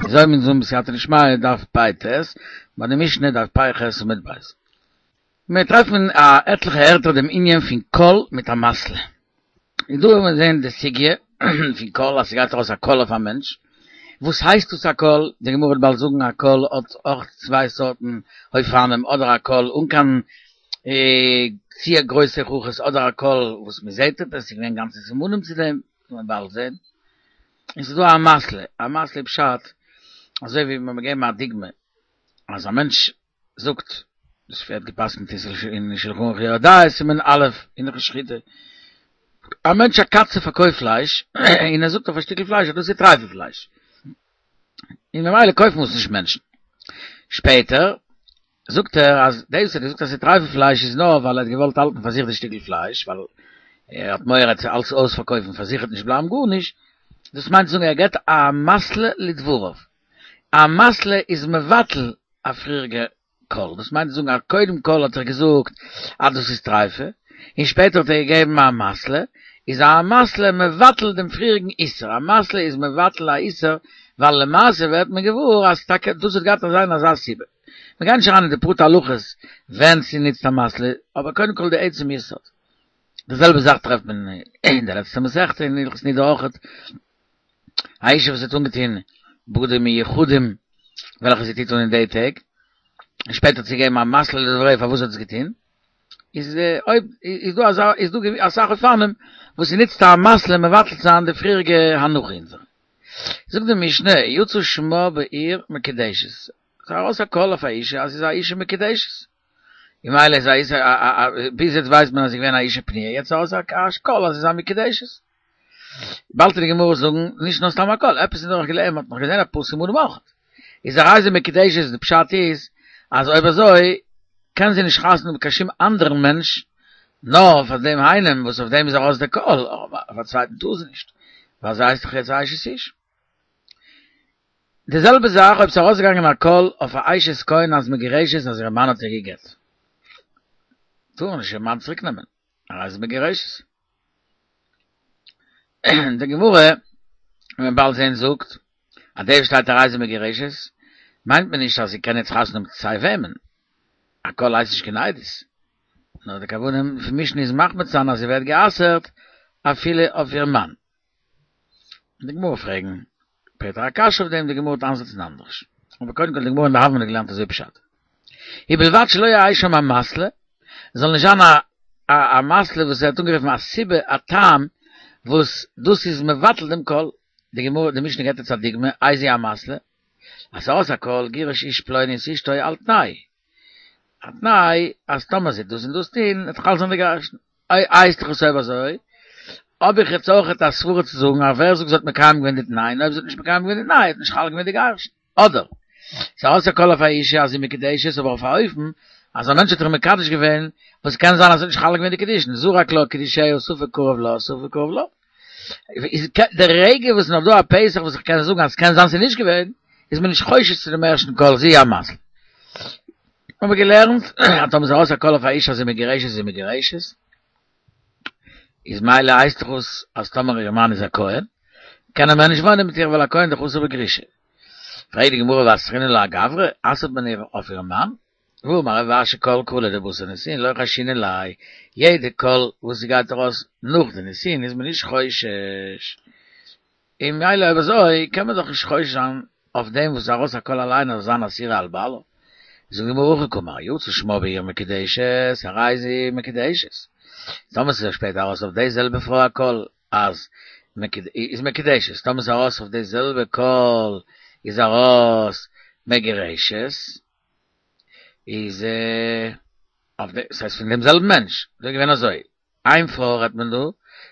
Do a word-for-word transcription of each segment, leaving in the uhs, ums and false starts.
אזוי מיר זאגן בסייעתא דשמיא דף פ"ט, ביי די משנה דף פ"ח עמוד ב'. מיר טרעפן א עטליכע ערטער דעם ענין פון קול מיט אמתלא. און דא וועלן מיר זען די סוגיא פון קול אז ס'גייט ארויס א קול אויף א מענטש. וואס הייסט דאס א קול? די גמרא וועט באלד זאגן א קול האט אויך צוויי סארטן אופנים, אדער א קול אן קיין צו גרויסע הוכחות אדער א קול וואס מ'זעט עפעס, ס'איז געווען גאנצע סימנים צו דעם, וועט מען באלד זען. און ס'איז דא אמתלא, אמתלא פשט, אזוי ווי מיר געבן א דוגמא, אז א מענטש זאגט, דאס ווערט געפסקנט אין שלחן ערוך יורה דעה סימן א' אין הלכות שחיטה, א מענטש א קצב פארקויפט פלייש, און ער זאגט אויף א שטיקל פלייש אז דאס איז טרייפע פלייש, און ממילא קויפן עס נישט מענטשן. שפעטער זאגט ער אז דאס וואס ער האט געזאגט אז ס'איז טרייפע פלייש איז נאר ווייל ער האט געוואלט האלטן פאר זיך די שטיקל פלייש, ווייל ער האט מורא צו אלס אויספארקויפן פאר זיך וועט נישט בלייבן גארנישט, דאס מיינט צו זאגן ער געבט אמתלא לדבריו, אמתלא איז מבטל א פריעריגע קול, דאס מיינט צו זאגן אז קודם כל האט ער געזאגט אז דאס איז טרייפה, און שפעטער האט ער געגעבן אמתלא, איז אמתלא מבטל דעם פריעריגן איסור, אמתלא איז מבטל א איסור, ווייל למעשה ווערט מען געוואר אז טאקע דאס האט געהאט זיין אזא סיבה. מיר גייען נישט אריין אין די פרטי הלכות ווען ס'נוצט אמתלא, אבער קודם כל די עצם יסוד. די זעלבע זאך טרעפט מען אין די לעצטע מסכתא אין הלכות נידה אויכעט, א אישה וואס האט אנגעטון בגדים מיוחדים וועלכע זי טוט אן אין די טעג, און שפעטער האט זי געגעבן אמתלא לדבריה פארוואס זי האט עס געטון, איז אויב איז דא אזא איז דא אסאך אופנים וואס ס'נוצט אמתלא מבטל צו זיין די פריעריגע הנחה אונזערע. זאגט די משנה, יצא שמה בעיר מקודשת, ס'איז ארויס א קול אויף א אישה אז זי איז א אישה מקודשת, און ממילא איז א אישה ביז יעצט ווייסט מען אז זי איז געווען א אישה פנויה, יעצט איז ארויס א קול אז זי איז א מקודשת. באלד וועט די גמרא זאגן, נישט נאר סתם א קול, עפעס איז נאך געלערנט, מ'האט נאך געזען אפאר סימנים אויך. איז הרי זו מקודשת, די פשט איז, אז אויב אזוי, קען זי נישט חתונה האבן מיט קיין שום אנדערן מענטש, נאר פאר דעם איינעם וואס אויף דעם איז ארויס דער קול, אבער אויף א צווייטן טאר זי נישט, ווייל זי הייסט דאך יעצט א אשת איש. די זעלבע זאך אויב ס'איז ארויסגעגאנגען א קול אויף א אשת כהן אז מגורשת אז איר מאן האט איר גע'גט, טאר נישט איר מאן צוריק נעמען, הרי זו מגורשת. די גמרא, וועט מען באלד זען זאגט, אז דאס שטייט הרי זו מגורשת, מיינט מען נישט אז זי קען יעצט חתונה האבן מיט סיי וועמען, א קול הייסט נישט קיין עדות, נאר די כוונה פון משנה איז מחמיר צו זיין אז זי ווערט גע'אסר'ט אפילו אויף איר מאן. די גמרא פרעגן שפעטער א קשיא אויף דעם, די גמרא וועט איינזעצן אנדערש. אבער קודם כל די גמרא אין די הוה אמינא געלערנט אזוי פשט. ובלבד שלא יהא שם אמתלא, זאל נישט זיין א א אמתלא וואס ווערט אנגערופן א סיבה א טעם וואס דאס איז מבטל דעם קול. די גמרא די משנה געבט אונז א דוגמא, איזוהי אמתלא, אז ס'ארויס א קול גירש איש פלוני את אשתו על תנאי, א תנאי אז טאמער זי וועט דאס און דאס טון וועט חל זיין די גירושין. איי הייסט דאך עס אויב אזוי, האב איך יעצט אויכעט א סברה צו זאגן אז ווער זאגט זי האט מקיים געווען די תנאי, און אויב זי האט נישט מקיים געווען די תנאי האט נישט חל געווען די גירושין. אדער, ס'איז ארויס א קול אויף א אישה אז זי מקודשת אבער אויף א אופן אז א מענטש האט איר מקדש געווען וואס קען זיין אז ס'האט נישט חל געווען די קידושין, זרק לה קידושיה ספק קרוב לה ספק קרוב לה. איז די רגע וואס נאך דא א פתח וואס איך קען זאגן אז ס'קען זיין ס'איז נישט געווען, איז מען נישט חושש צו דעם ערשטן קול זו היא אמתלא. האבן מיר געלערנט אז טאמער איז ארויס א קול אויף א אישה אז זי מגורשת איז זי מגורשת, איז מילא הייסט דאך אויס אז טאמער איר מאן איז א כהן, קען ער מער נישט וואוינען מיט איר ווייל א כהן איז דאך אסור בגרושה. פרעגט די גמרא ואסרינן לה אגברא, אסר'ט מען איר אויף איר מאן? והאמר רב אשי כל קלא דבתר נישואין לא חיישינן ליה, יעדע קול וואס ס'גייט ארויס נאך די נישואין איז מען נישט חושש, און מילא אויב אזוי קען מען דאך נישט חושש זיין אויף דעם וואס איז ארויס א קול אליין אז זיין אסורה על בעלה. זאגט די גמרא הכי קאמר, יצא שמה בעיר מקודשת, הרי זו מקודשת. טאמער ס'איז שפעטער ארויס אויף די זעלבע פרוי א קול אז איז מקודשת, טאמער ס'איז ארויס אויף די זעלבע קול איז ארויס מגורשת, איז אויף די, ס'הייסט פון דעם זעלבן מענטש, דא איז געווען אזוי, איין פרוי רעדט מען דא,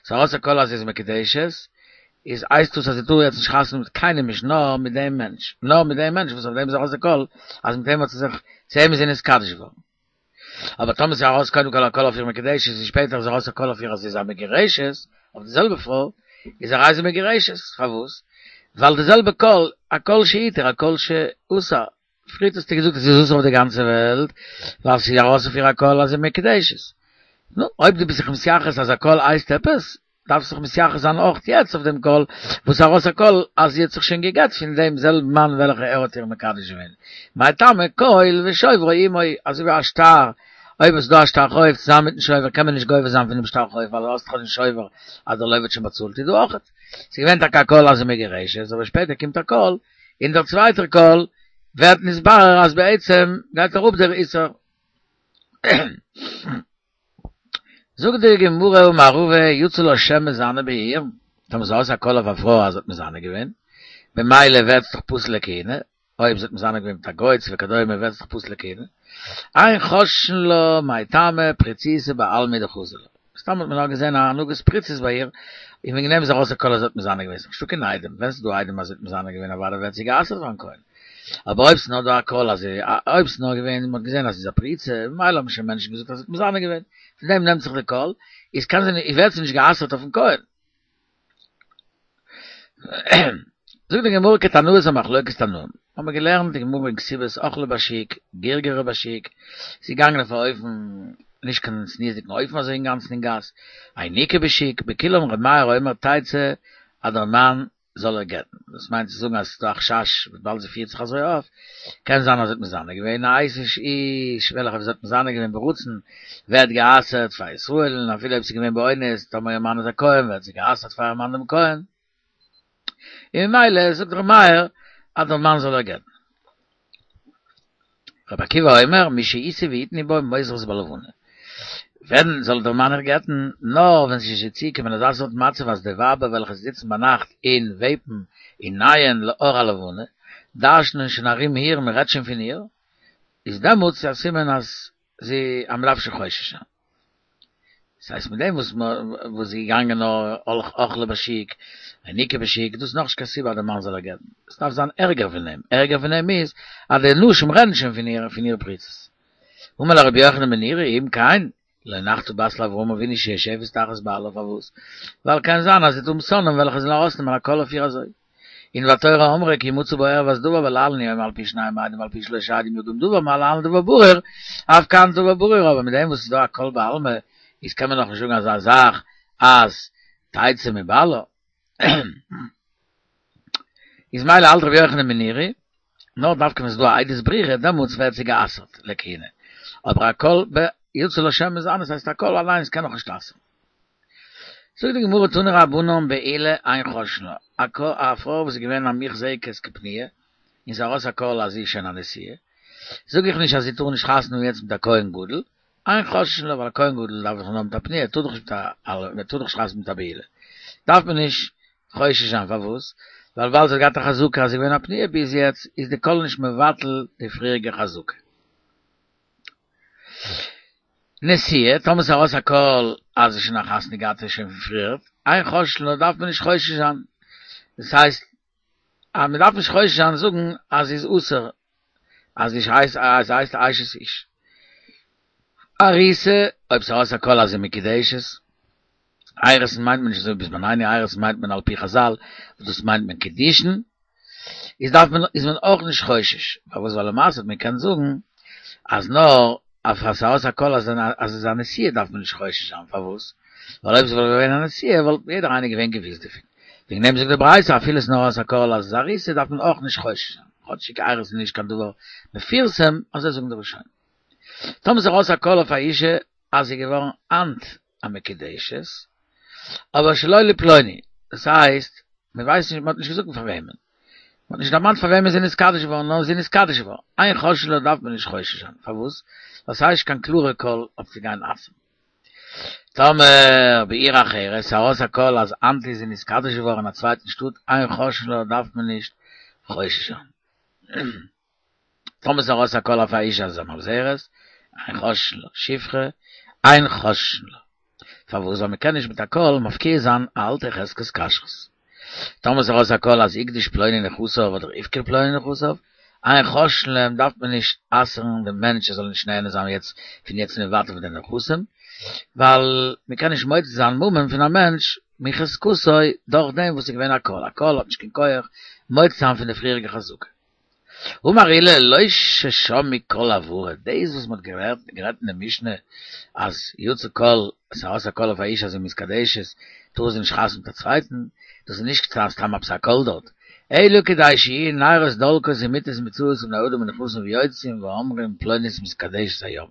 ס'איז ארויס א קול אז זי איז מקודשת, איז הייסט דאס אז זי טאר יעצט נישט חתונה מיט קיינעם נישט נאר מיט דעם מענטש, נאר מיט דעם מענטש וואס אויף דעם איז ארויס די קול אז מיט אים האט זי זיך, צו אים איז זי נתקדש געווארן. אבער טאמער ס'איז ארויס קודם כל א קול אויף איר מקודשת און שפעטער איז ארויס א קול אויף איר אז זי איז א מגורשת, אויף די זעלבע פרוי, איז הרי זו מגורשת, פארוואס? ווייל די זעלבע קול, א קול שהתיר א קול שאסר, פריערט האסטו געזאגט אז ס'איז אסור אויף די גאנצע וועלט, ווייל ס'איז ארויס אויף איר א קול אז זי איז מקודשת. נו, אויב דו ביסט זיך מתייחס אז א קול הייסט עפעס, דארף זיך מתייחס זיין אויך יעצט אויף דעם קול, וואס ארויס א קול אז זי האט זיך שוין געגט פון דעם זעלבן מאן וועלכע ער האט איר מקדש געווען. מאי טעמא קול ושוברו עמו, אזוי ווי א שטר, אויב איז דא א שטר חוב צוזאמען מיטן שובר קען מען נישט גובה זיין פון דעם שטר חוב ווייל האסט דאך דעם שובר אז דער לוה האט שוין באצאלט איז דא אויך. ס'איז געווען טאקע א קול אז זי מגורשת אבער שפעטער קומט א קול און דער צווייטער קול ווערט נתברר אז בעצם גייט אראפ דער איסור. זאגט די גמרא אמר רבא יצא לה שם מזנה בעיר, טאמער ס'איז ארויס א קול אויף א פרוי אז זי האט מזנה געווען, במילא ווערט זי דאך פסול לכהונה, אויב זי האט מזנה געווען מיט א גוי צו וכדומה ווערט זי דאך פסול לכהונה, אין חוששין לה מאי טעמא פריצותא בעלמא דחזו לה, סתם האט מען נאר געזען א הנהגת פריצות ביי איר, און וועגן דעם איז ארויס א קול אז זי האט מזנה געווען, ס'איז נישטא קיין עדים, ווען ס'איז דא עדים אז זי האט מזנה געווען אוודאי ווערט זי גע'אסר'ט פאר'ן כהן. אבער אויב ס'איז נאר דא א קול אז אויב ס'איז נאר געווען מ'האט געזען אז זי איז א פריצה, ממילא האבן שוין מענטשן געזאגט אז זי האט מזנה געווען, פון דעם נעמט זיך די קול, איז קען זי נישט, ווערט זי נישט גע'אסר'ט אויפ'ן כהן. זאגט די גמרא כתנאי, א מחלוקת תנאים, האבן מיר געלערנט די גמרא אין כתובות אכלה בשוק, גרגרה בשוק, זי איז געגאנגען אויף א אופן, נישט קיין צניעות'דיגן אופן אזוי אינגאנצן אין גאס, היניקה בשוק, בכולם ר' מאיר אומר תצא אז דער מאן זאל איר גט'ן, דאס מיינט צו זאגן אז ס'איז דא א חשש וויבאלד זי פירט זיך אזוי אויף, קען זיין אז זי האט מזנה געווען א אשת איש וועלכע זי האט מזנה געווען ברצון ווערט גע'אסר'ט פאר ישראל און אפילו אויב ס'איז געווען באונס טאמער איר מאן איז א כהן ווערט זי גע'אסר'ט פאר איר מאן דעם כהן, און ממילא זאגט ר' מאיר אז דער מאן זאל איר גט'ן. רבי עקיבא אומר מי שישא ויתנו בה מוזרות בלבנה. ווען זאל דער מאן איר גט'ן? נאר ווען ס'איז שוין צוגעקומען אזא סארט מצב אז די ווייבער וועלכע זיצן ביינאכט און וועפן און נייען לאור הלבנה, דרש'נען שוין ארום איר, מ'רעדט שוין פון איר, איז דעמאלטס א סימן אז זי אז מ'דארף שוין חושש זיין. דאס הייסט מיט דעם וואס וואס זי איז געגאנגען נאר אכלה בשוק, היניקה בשוק, דאס איז נאכנישט קיין סיבה אז דער מאן זאל איר גט'ן, עס דארף זיין ערגער פון דעם, ערגער פון דעם איז אז די נשים רעדן שוין פון איר פון איר פריצות. אמר לו רבי יוחנן בן נורי אם כן, לא נחתה בת לאברהם אבינו שיושבת תחת בעלה פארוואס? ווייל קען זיין אז זי וועט האבן שונאים וועלכע זאלן ארויסנעמען א קול אויף איר אזוי. און והתורה אמרה כי ימצא בה ערות דבר ולהלן הוא אומר על פי שניים עדים ועל פי שלושה עדים יקום דבר מה להלן דבר ברור אף כאן דבר ברור אבער מיט דעם וואס איז דא א קול בעלמא איז קען מען נאך נישט זאגן אזא זאך אז תצא מבעלה איז מילא האלט רבי יוחנן בן נורי נאר דווקא ווען ס'איז דא א עדות ברורה דעמאלטס ווערט זי גע'אסר'ט לכהונה אבער א קול ב יצא לה שם מזנה ס'הייסט א קול אליינס קען נאך נישט אסר'ן. זאגט די גמרא תנו רבנן בעילה אין חוששין לה, א א פרוי וואס איז געווען א מוחזקת כפנויה, און ס'איז ארויס א קול אז זי איז שוין א נשואה, זאג איך נישט אז זי טאר נישט חתונה האבן יעצט מיט א כהן גדול, אין חוששין לה ווייל א כהן גדול דארף דאך נאר מיט א פנויה, ער טאר דאך נישט מיט א ער טאר דאך נישט חתונה מיט א בעולה, דארף מען נישט חושש זיין פארוואס? ווייל ווייל זי האט געהאט א חזקה אז זי איז געווען א פנויה ביז יעצט, איז די קול נישט מבטל די פריעריגע חזקה. נשואה, טאמער ס'איז ארויס א קול אז זי איז שוין א חתונה געהאטע שוין פון פריער, אין חוששין לה דארף מען נישט חושש זיין, דאס הייסט אז מען דארף נישט חושש זיין זאגן אז זי איז אסור, אז זי הייסט אז זי הייסט אשת איש. ארוסה, אויב ס'איז ארויס א קול אז זי איז מקודשת, אירוסין מיינט מען נישט אזוי ווי בזמנינו אירוסין מיינט מען על פי חזל וואס דאס מיינט מען קידושין, איז דארף מען איז מען אויך נישט חושש, פארוואס ווייל למעשה האט מען געקענט זאגן אז נאר אויף אז ס'ארויס א קול אז אז איז א נשואה דארף מען נישט חושש זיין, פארוואס ווייל אויב ס'וואלט געווען א נשואה וואלט יעדער איינער געווען געוויסט דערפון, וועגן דעם זאגט די ברייתא אפילו ס'נאר ארויס א קול אז איז ארוסה דארף מען אויך נישט חושש זיין, כאטשיג אירוסין איז נישט קיין דבר מפורסם, אזוי זאגן די ראשונים. טאמער ס'איז ארויס א קול אויף א אישה אז זי איז געווארן היינט א מקודשת, אבער שלא לפלוני, דאס הייסט, מען ווייסט נישט, מען האט נישט געזאגט פאר וועמען, מען האט נישט דערמאנט פאר וועמען זי איז נתקדש געווארן, נאר זי איז נתקדש געווארן, אין חוששין לה דארף מען נישט חושש זיין, פארוואס? ווייל ס'איז נישט קיין קלארע קול אויף צו גיין אסר'ן. טאמער בעיר אחרת, ס'איז ארויס א קול אז היינט איז זי נתקדש געווארן אין א צווייטן שטאט, אין חוששין לה דארף מען נישט חושש זיין. טאמער ס'איז ארויס א קול אויף א אישה אז זי איז א ממזרת, אין חוששין לה, שפחה, אין חוששין לה. פארוואס? ווייל מ'קען נישט מיט א קול מפקיע זיין א אלטע חזקת כשרות. טאמער ס'איז ארויס א קול אז הקדיש פלוני נכסיו אדער הפקיר פלוני נכסיו, אין חוששין להם דארף מען נישט אסר'ן דעם מענטש ער זאל נישט נהנה זיין יעצט פון יעצט און ווייטער פון די נכסים, ווייל מ'קען נישט מוציא זיין ממון פון א מענטש מחזקתו דורך דעם וואס איז געווען א קול, א קול האט נישט קיין כח מוציא זיין פון די פריעריגע חזקה. אמר עולא לא ששמעו קול הברה, דאס וואס מ'האט גערעדט אין די משנה אז יצא קול, ס'איז ארויס א קול אויף א אישה אז זי מתקדשת, טאר זי נישט חתונה מיט א צווייטן, דאס איז נישט סתם עפעס א קול דארט. אלא כדי שיהיו נרות דולקות ומטות מצויות ובני אדם נכנסים ויוצאים ואומרים פלונית מתקדשת היום.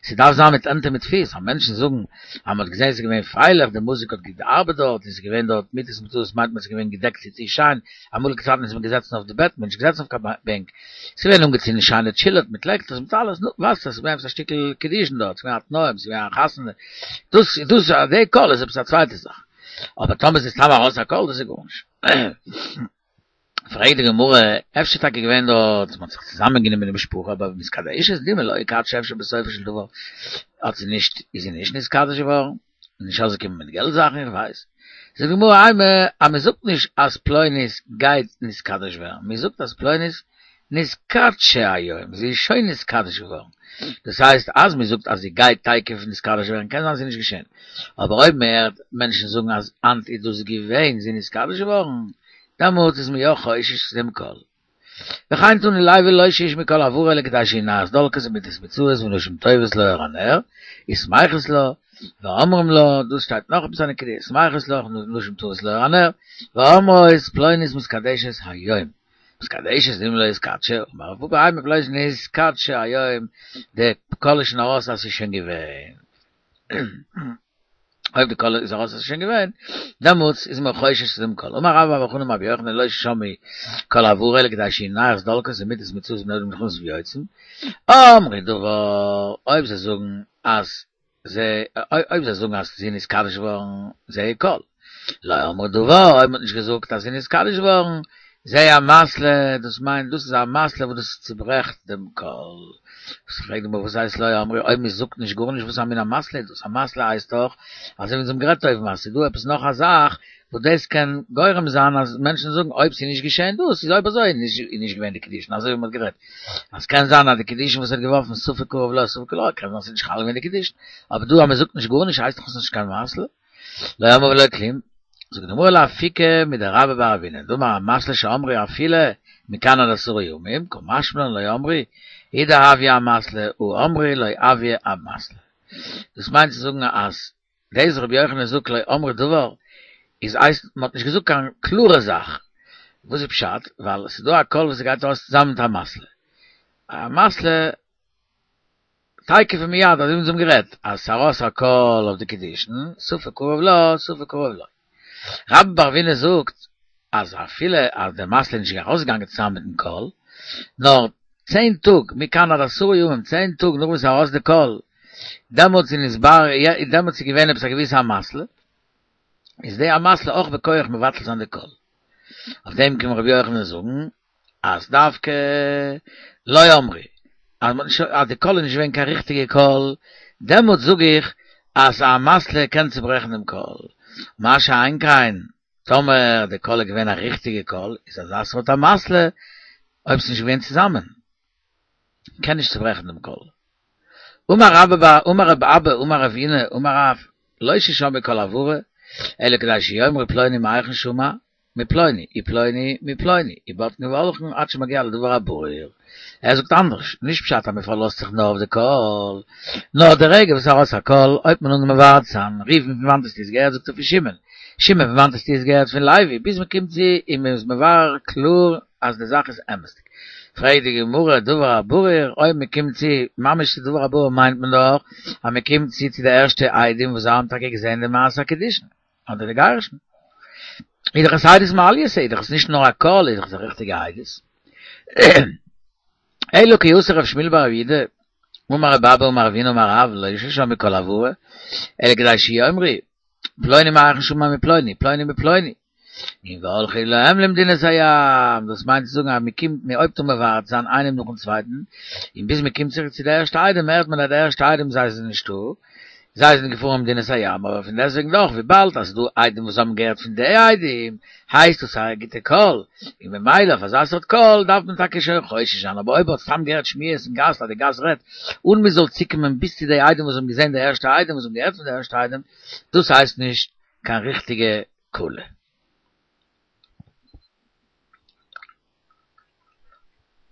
ס'דארף זיין מיט הענט און מיט פיס, אז מענטשן זאגן אז מ'האט געזען ס'איז געווען פרייליך, די מוזיק האט געארבעט דארט, און ס'איז געווען דארט מטות מצויות מיינט מען ס'איז געווען געדעקט צו צו שיין, אמאליגע צייטן איז מען געזעצן אויף די בעט, מען איז נישט געזעצן אויף קיין בענק, ס'איז געווען אנגעצינדן שיינע טשילארס מיט לעקטערס מיט אלעס, נו, ווייסט אז ס'איז געווען עפעס א שטיקל קידושין דארט, ס'איז געווען א תנאים, ס'איז געווען א חתונה, דאס דאס די קול איז עפעס א צווייטע זאך, אבער טאמער ס'איז סתם ארויס א קול דאס איז גארנישט. פרעגט די גמרא, אפשר טאקע געווען דארט, מ'האט זיך צוזאמען גענומען די משפחה, אבער מתקדשת דילמא לא איקדשא אפשר בסופו של דבר האט זי נישט, איז זי נישט נתקדש געווארן, נישט ארויסגעקומען מיט געלט זאכן, איך ווייס. זאגט די גמרא, אימא, אז מ'זאגט נישט אז פלונית גייט נתקדש ווערן, מ'זאגט אז פלונית נתקדשה היום, זי איז שוין נתקדש געווארן. דאס הייסט אז מ'זאגט אז זי גייט תיכף נתקדש ווערן, קען זיין ס'איז נישט געשען. אבער אויב מ'הערט מענטשן זאגן אז היינט איז דאס געווען, זי איז נתקדש געווארן, דעמאלטס איז מען יא חושש צו דעם קול. וכן תני לוי לא שישמעו קול הברה אלא כדי שיהיו נרות דולקות ומטות מצויות ונשים טובות לאור הנר, ושמחות לה, ואומרים לה, דאס שטייט נאך עפעס א נקודה, ושמחות לה, נשים טובות לאור הנר, ואומרות פלונית מתקדשת היום. מתקדשת דילמא לא אתקדשה, אמר רב פפא אימא פלונית נתקדשה היום, די קול איז שוין ארויס אז ס'איז שוין געווען. אויב די קול איז ארויס אז ס'איז שוין געווען, דעמאלטס איז מען חושש צו דעם קול. אמר רבה בר בר חנה אמר רבי יוחנן לא שמעו קול הברה אלא כדי שיהיו נרות דולקות ומטות מצויות ובני אדם נכנסים ויוצאים. אמרו דבר, אויב זיי זאגן אז זיי, אויב זיי זאגן אז זי איז נתקדש געווארן, זה קול. לא אמרו דבר, אויב מ'האט נישט געזאגט אז זי איז נתקדש געווארן, זה אמתלא, דאס מיינט דאס איז א אמתלא וואס דאס צוברעכט דעם קול. פרעגט די גמרא וואס הייסט לא אמרו, אויב מען זאגט נישט גארנישט וואס א מין אמתלא איז דאס, אמתלא הייסט דאך אזוי ווי אונז האבן גערעדט אויבן אז ס'איז דא עפעס נאך א זאך וואס דאס קען גורם זיין אז מענטשן זאגן אויב ס'איז נישט געשען דאס איז אויב אזוי איז נישט געווען די קידושין אזוי ווי מ'האט גערעדט אז קען זיין אז די קידושין וואס ער האט געווארפן ספק קרוב לה ספק לא קען זיין ס'איז נישט חל געווען די קידושין אבער דא אז מ'זאגט נישט גארנישט הייסט דאך עס נישט קיין אמתלא. לא אמרו ולא כלום, זאגט די גמרא לאפוקי מדרבה בר אבינא, דאמר אמתלא שאמרו אפילו מכאן עד עשרה ימים, קא משמע לן לא אמרו, הוא דהויא אמתלא הא אמרו לא הויא אמתלא. דאס מיינט צו זאגן אז דאס וואס רבי יוחנן זאגט לא אמרו דבר איז הייסט מען האט נישט געזאגט קיין קלארע זאך, וואס איז פשט? ווייל עס איז דא א קול וואס גייט ארויס צוזאמען מיט אמתלא, אמתלא תיכף ומיד, אזוי ווי אונז האבן גערעדט, אז ס'ארויס א קול אויף די קידושין, ספק קרוב לה, ספק קרוב לו. רבה בר אבינא זאגט אז אפילו אז די אמתלא איז נישט ארויסגעגאנגען צוזאמען מיטן קול, נאר צען טאג, מכאן עד עשרה ימים, צען טאג נאך וואס ס'איז ארויס די קול, דעמאלטס איז נתברר, דעמאלטס איז געווען עפעס א געוויסע אמתלא, איז די אמתלא אויך בכח מבטל זיין די קול. אויף דעם קומט רבי יוחנן זאגן אז דווקא לא אמרו, אז מ'האט נישט אז די קול איז נישט געווען קיין ריכטיגע קול, דעמאלטס זאג איך אז א אמתלא קען צוברעכן דעם קול, מה שאין כן טאמער די קול איז געווען א ריכטיגע קול, איז אזא סארט אמתלא, אויב ס'איז נישט געווען צוזאמען, קען נישט צוברעכן דעם קול. אמר רבה בר אמר רב אבא אמר רב הונא אמר רב, לא ששמעו קול הברה, אלא כדי שיאמרו פלוני מהיכן שמע, מפלוני, ופלוני מפלוני, ובודקין והולכין עד שמגיע לדבר הברור. ער זאגט אנדערש, נישט פשט אז מען פארלאזט זיך נאר אויף די קול, נאר די רגע וואס ארויס א קול, הויבט מען אן מברר צו זיין, ראובן פון וואנט האסטו עס געהערט זאגט ער פון שמעון, שמעון פון וואנט האסטו עס געהערט פון לוי, ביז מען קומט צו און מען איז מברר קלאר אז די זאך איז אמת'דיג. פרעגט די גמרא דבר הברור, אויב מען קומט צו ממש צו דבר הברור מיינט מען דאך אז מען קומט צו צו די ערשטע עדים וואס זיי האבן טאקע געזען די מעשה הקידושין. אדער די גירושין. איז דאך עס עדות מעלייתא, איז דאך עס נישט נאר א קול, איז דאך עס א ריכטיגע עדות. אלא כי אתא רב שמואל בר רב יהודה, אמר רב אבא אמר רב הונא אמר רב, לא ששמעו קול הברה, אלא כדי שיאמרו, פלוני מהיכן שמע מפלוני, פלוני מפלוני. און והלכו להם למדינת הים, דאס מיינט צו זאגן אז מען קומט מען הויבט אן מברר זיין איינעם נאכן צווייטן, און ביז מען קומט צוריק צו די ערשטע עדים הערט מען אז די ערשטע עדים זיי זענען נישטא, זיי זענען געפארן למדינת הים, אבער פון דעסטוועגן דאך וויבאלד אז ס'דא עדים וואס האבן געהערט פון די עדים, הייסט דאס א גוטע קול, און ממילא אויף אזא סארט קול דארף מען טאקע שוין חושש זיין, אבער אויב מ'האט סתם געהערט שמועות אין גאס אז די גאס רעדט, אן מען זאל צוקומען ביז צו די עדים וואס האבן געזען די ערשטע עדים וואס האבן געהערט פון די ערשטע עדים, דאס הייסט נישט קיין ריכטיגע קולא.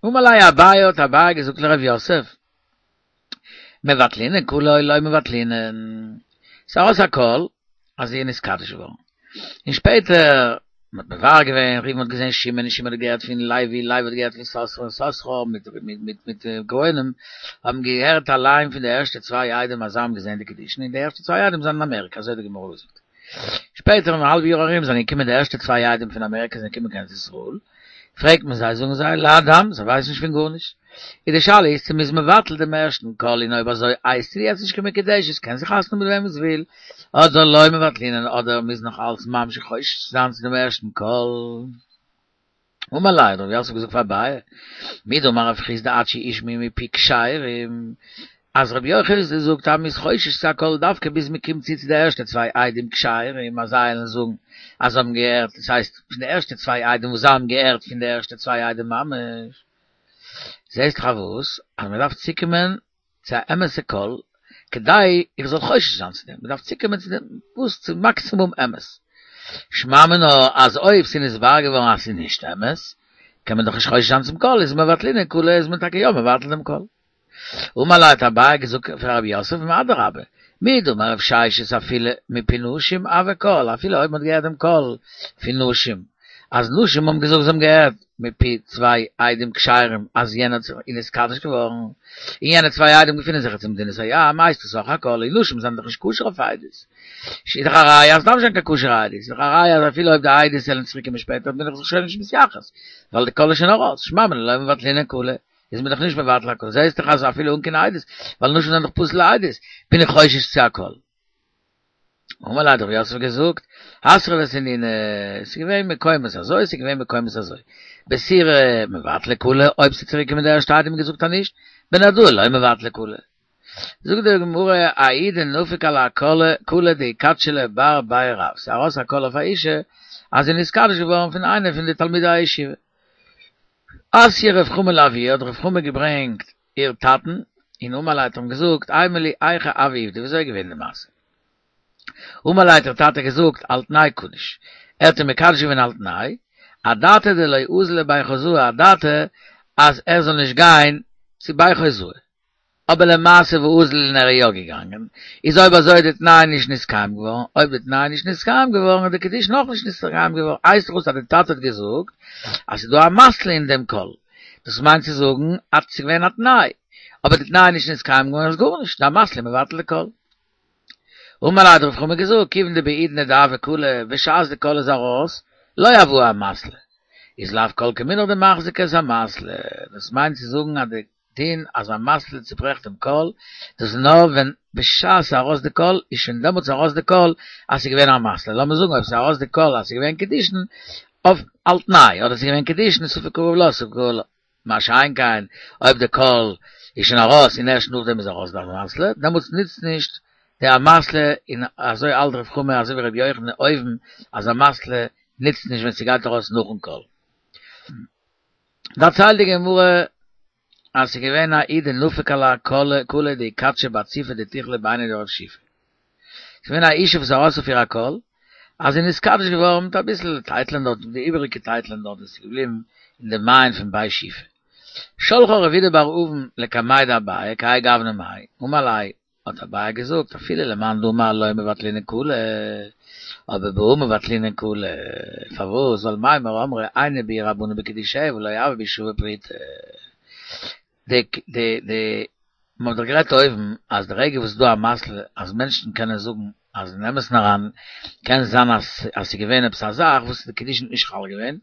אמר ליה אביי האט אביי געזאגט לרב יוסף, מבטלינן קלא או לא מבטלינן, ס'איז ארויס א קול אז זי איז נתקדש געווארן, און שפעטער מ'האט מברר געווען, ראובן האט געזען שמעון און שמעון האט געהערט פון לוי, לוי האט געהערט פון יששכר און יששכר מיט מיט מיט מיט גאונים האבן געהערט אליין פון די ערשטע צוויי עדים אז זיי האבן געזען די קידושין און די ערשטע צוויי עדים זענען אין אמעריקא אזוי האט די גמרא געזאגט. שפעטער אין א האלב יאר ארום זענען געקומען די ערשטע צוויי עדים פון אמעריקא זענען געקומען קיין ארץ ישראל, פרעגט מען זיי זאגן זיי להדם זיי ווייסן נישט פון גארנישט, איז די שאלה איז צו מ'איז מבטל דעם ערשטן קול און אויב אזוי הייסט זי יעצט נישט קיין מקודשת קען זי חתונה מיט וועמען זי וויל, אדער לא מבטלינן אדער מ'איז נאך אלץ ממשיך חושש זיין צו דעם ערשטן קול. אמר ליה האט רב יוסף געזאגט פאר אביי, מדאמר רב חסדא עד שישמעו מפי כשרים, אז רבי יוחנן זאגט אז מ'איז חושש צו א קול דווקא ביז מ'קומט צו צו די ערשטע צוויי עדים כשרים אז זיי וועלן זאגן אז זיי האבן געהערט, דאס הייסט פון די ערשטע צוויי עדים וואס זיי האבן געהערט פון די ערשטע צוויי עדים ממש. זעהסט דאך וואס? אז מ'דארף צוקומען צו א אמת'ע קול כדי איך זאל חושש זיין צו דעם, מ'דארף צוקומען צו דעם וואס? צו מאקסימום אמת. שמע מינה אז אויב ס'איז נתברר געווארן אז ס'איז נישט אמת, קען מען דאך נישט חושש זיין צום קול, איז מבטלינן כוליה איז מען טאקע יא מבטל דעם קול. אמר ליה האט אביי געזאגט פאר רב יוסף אדרבה, מדאמר רב ששת אפילו מפי נשים הוי קול, אפילו אויב מ'האט געהערט דעם קול פון נשים, אז נשים האבן געזאגט זיי האבן געהערט מפי צוויי עדים כשרים אז יענער איז נתקדש געווארן, און יענע צוויי עדים געפינען זיך יעצט אין מדינת הים, הייסט עס אויך א קול, און נשים זענען דאך נישט כשר אויף עדות. איז דאך א ראיה אז ס'דארף נישט זיין קיין כשר'ע עדות, איז דאך א ראיה אז אפילו אויב די עדות וועלן צוריק קומען שפעטער בין איך זיך שוין נישט מתייחס, ווייל די קול איז שוין ארויס, שמע מינה לא מבטלינן כוליה. איז מען דאך נישט מבטל א קול, זעהסט דאך אז אפילו אן קיין עדות, ווייל נשים זענען דאך פסול לעדות, בין איך חושש צו א קול. אמר ליה האט רב יוסף געזאגט, אתרא ותנינא, ס'איז געווען מקומות אזוי, ס'איז געווען מקומות אזוי. בסורא מבטלי כוליה, אויב ס'איז צוריק געקומען די ערשטע עדים און געזאגט אז נישט, בנהרדעא לא מבטלי כוליה. זאגט די גמרא, ההיא דנפק עלה קלא דאיקדשא לה בר בי רב, ס'איז ארויס א קול אויף א אישה אז זי איז נתקדש געווארן פון איינע פון די תלמידי הישיבה. אתייה רב חמא לאבוה האט רב חמא געברענגט איר טאטן און אמר ליה האט אים געזאגט אימא לי היכי הוה עובדא וויאזוי איז געווען די מעשה אמר ליה האט איר טאטע געזאגט על תנאי קדיש ער האט איר מקדש געווען על תנאי אדעתא דלא אזיל לבי חוזאי אדעתא אז ער זאל נישט גיין צו בי חוזאי. אבער למעשה ואזל און ער איז יא געגאנגען, איז אויב אזוי איז די תנאי נישט נתקיים געווארן, אויב די תנאי איז נישט נתקיים געווארן איז די קידושין אויך נישט נתקיים געווארן, הייסט דאך אויס אז די טאטע האט געזאגט אז ס'איז דא אמתלא אין דעם קול, דאס מיינט צו זאגן אז ס'איז געווען א תנאי, אבער די תנאי איז נישט נתקיים געווארן איז גארנישט, די אמתלא איז מבטל די קול. אמר ליה האט רב חמא געזאגט, כיוון דבעידנא דהוה קלא, בשעת די קול איז ארויס, לא הוה אמתלא, איז לאו כל כמינך דמחזקא את אמתלא, דאס מיינט צו זאגן אז די דין אז אמתלא צוברעכט דעם קול, דאס איז נאר ווען בשעת ס'איז ארויס די קול איז שוין דעמאלטס ארויס די קול אז ס'איז געווען אמתלא, לאמיר זאגן אויב ס'איז ארויס די קול אז ס'איז געווען קידושין אויף על תנאי, אדער ס'איז געווען קידושין ספק קרוב לה ספק קרוב לו, מה שאין כן אויב די קול איז שוין ארויס און ערשט נאכדעם איז ארויס די אמתלא, דעמאלטס נוצט נישט די אמתלא, און אזוי האלט רב חמא אזוי ווי רבי יוחנן אויבן אז אמתלא נוצט נישט ווען ס'גייט ארויס נאכן קול. דערציילט די גמרא אז ס'איז געווען ההיא דנפק עלה קלא קלא דאיקדשא בת ציפא דתיכלא בעיניה דרב שיפא. ס'איז געווען א אישה וואס איז ארויס אויף איר א קול אז זי איז נתקדש געווארן מיט אביסל טייטלען דארט, די איבעריגע טייטלען דארט וואס איז געבליבן אין די מעיין פון בי שיפא. שלחה רב אידי בר אבין לקמיה דאביי כהאי גוונא מאי, אמר ליה האט אביי געזאגט אפילו למאן דאמר לא מבטלינן כוליה, אבער בהא מבטלינן כוליה, פארוואס ווייל מימר אמרי עיינו בהו רבנן בקידושיה ולא הוה בהו שווה פרוטה. די די די מ'האט דאך גערעדט אויבן אז די רגע וואס איז דא אמתלא אז מענטשן קענען זאגן אז אין אמת'ן אריין קען זיין אז אז ס'איז געווען עפעס א זאך וואס די קידושין איז נישט חל געווען,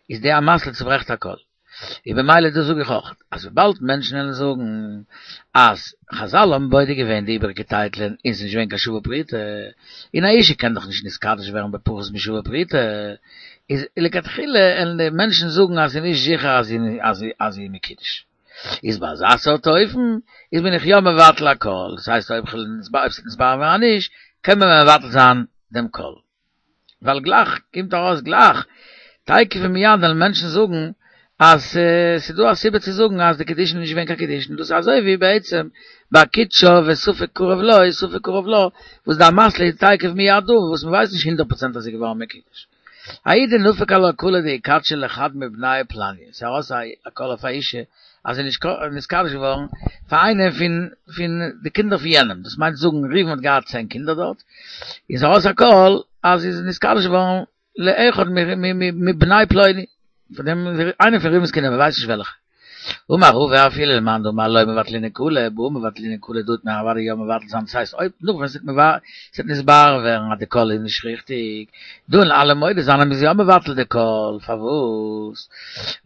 איז די אמתלא צוברעכט הכל. און במילא דאס זאג איך אויך, אז וויבאלד מענטשן וועלן זאגן אז חזל האבן בודק געווען די איבעריגע טייטלען און ס'איז נישט געווען קיין שווה פרוטה, און א אישה קען דאך נישט נתקדש ווערן בפחות משווה פרוטה, איז לכתחילה וועלן די מענטשן זאגן אז ס'איז נישט זיכער אז זי אז זי איז מקודש. איז ביי אזא סארט אופן איז בין איך יא מבטל הכל, דאס הייסט אויב ס'וועט נתברר ווערן אז נישט, קען מען מבטל זיין דעם קול. ווייל גלייך קומט ארויס גלייך תיכף ומיד וועלן מענטשן זאגן אז ס'איז דא א סיבה צו זאגן אז די קידושין איז נישט געווען קיין קידושין, דאס איז אזוי ווי בעצם ביי קידשה וספק קרוב לו ספק קרוב לה וואס די אמתלא איז תיכף מיד דא וואס מ'ווייסט נישט הונדערט פראצענט אז זי איז געווארן מקודש. ההיא דנפק עלה קלא דאיקדשא לחד מבני פלניא, ס'איז ארויס א קול אויף א אישה אז זי איז נתקדש געווארן פאר איינע פון פון די קינדער פון יענעם, דאס מיינט זאגן ראובן האט געהאט צען קינדער דארט, איז ארויס א קול אז זי איז נתקדש געווארן לאחד מבני פלוני, פון דעם איינער פון ראובן'ס קינדער, מ'ווייסט נישט וועלכע. אמר רבא אפילו למאן דאמר לא מבטלינן קלא, בהא מבטלינן קלא דא וועט מען אוודאי יא מבטל זיין, דאס הייסט אויב נאך ווען ס'וועט נתברר ווערן אז די קול איז נישט ריכטיג, דא וועלן אלע מודה זיין אז מ'איז יא מבטל די קול, פארוואס?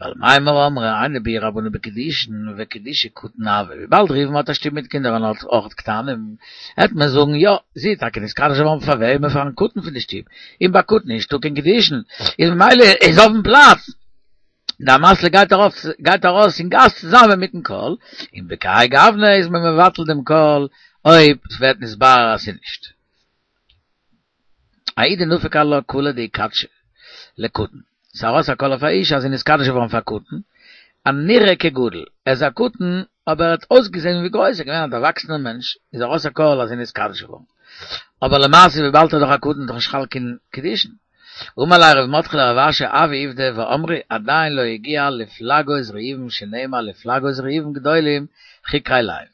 ווייל מימר אמרי היינו בהו רבנן בקידושין וקידושי קטן הוה, וויבאלד ראובן האט א שטוב מיט קינדער און האט אויך קטנים, העט מען זאגן יא, זי איז טאקע נתקדש געווארן פאר וועמען? פארן קטן פון די שטוב, און ביי קטן איז נישטא קיין קידושין, איז ממילא איז אויפן פלאץ די אמתלא גייט ארויף גייט ארויס אין גאס צוזאמען מיטן קול, און בכהאי גוונא איז מען מבטל דעם קול אויב ס'ווערט נתברר אז ס'איז נישט. ההיא דנפק עלה קלא דאיקדשה לקטן, ס'איז ארויס א קול אויף א אישה אז זי איז נתקדש געווארן פאר קטן, הנראה כגדול, ער איז א קטן אבער ער האט אויסגעזען ווי גרויס, ער איז געווען א דערוואקסענער מענטש, איז ארויס א קול אז זי איז נתקדש געווארן. אבער למעשה וויבאלד ער איז דאך א קטן איז דאך נישט חל קיין קידושין. אמר ליה רב מרדכי לרב אשי הוי עובדא ואמרי עדיין לא הגיע לפלגות ראובן שנאמר לפלגות ראובן גדולים חקרי לב.